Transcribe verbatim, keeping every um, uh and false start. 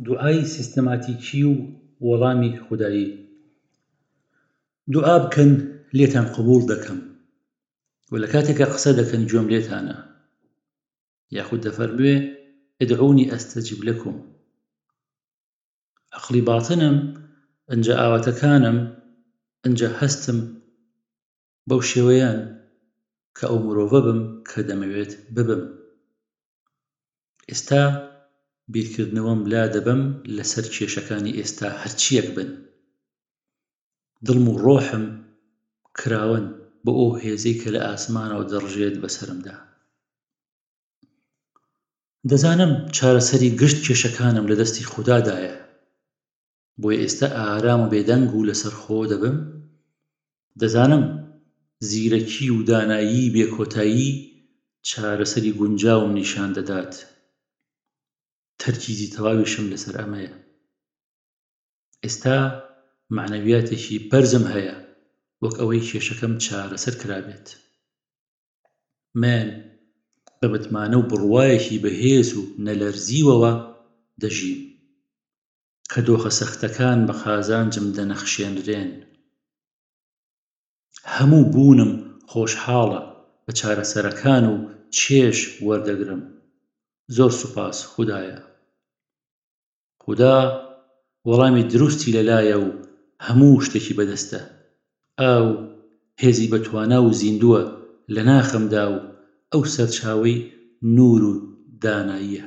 دوعای سیستەماتیکی و وەڵامی خودایی. دوعا بکەن لێتان قبوڵ دەکەم و لە کاتێکا قسە دەکەن گوێم لێتانە. یاخود دەفەرموێ ادعونی استجب لکم. عەقڵی باتنم ئنجا ئاواتەکانم ئنجا هەستم بەو شێوەیەن کە ئەو مرۆڤە بم کە دەمەوێت ببم. ئێستا بیرکردنەوەم لا دەبەم لەسەر کێشەکانی ئێستا هەرچیەک بن. دڵم و ڕۆحم کراوەن بۆ ئەو هێزەی کە لە ئاسمانەوە دەڕژێت بەسەرمدا. دەزانم چارەسەری گشت کێشەکانم لە دەستی خودادایە، بۆیە ئێستا ئارام و بێدەنگ و لەسەرخۆ دەبم. دەزانم زیرەکی و دانایی بێ کۆتایی چارەسەری گونجاوم نیشان دەدات. تەرکیزی تەواویشم لەسەر ئەمەیە. ئێستا مەعنەویاتێکی بەرزم هەیە وەک ئەوەی کێشەکەم چارەسەر کرابێت. من بە متمانە و بڕوایەکی بەهێز و نەلەرزیوەوە دەژیم کە دۆخە سەختەکان بە قازانجم دەنەخشێنرێن. هەموو بوونم خۆشحاڵە بە چارەسەرەکان و چێژ وەردەگرم. زۆر سوپاس خودایە. خودا وەڵامی دروستی لەلایە و هەموو شتێکی بەدەستە. ئەو هێزی بەتوانا و زیندووە لە ناخمدا و ئەو سەرچاوەی نوور و داناییە.